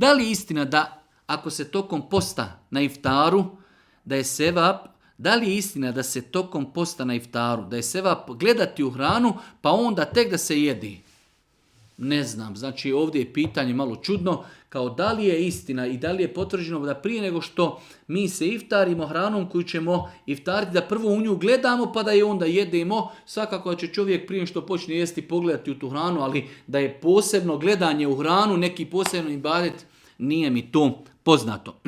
Da li je istina da ako se tokom posta na iftaru, da je sevap, da li je istina da se tokom posta na iftaru, da je sevap gledati u hranu, pa onda tek da se jedi? Ne znam, znači ovdje je pitanje malo čudno, kao da li je istina i da li je potvrđeno da prije nego što mi se iftarimo hranom koju ćemo iftariti, da prvo u nju gledamo pa da je onda jedemo. Svakako će čovjek prije što počne jesti pogledati u tu hranu, ali da je posebno gledanje u hranu, neki posebno ibadet, nije mi to poznato.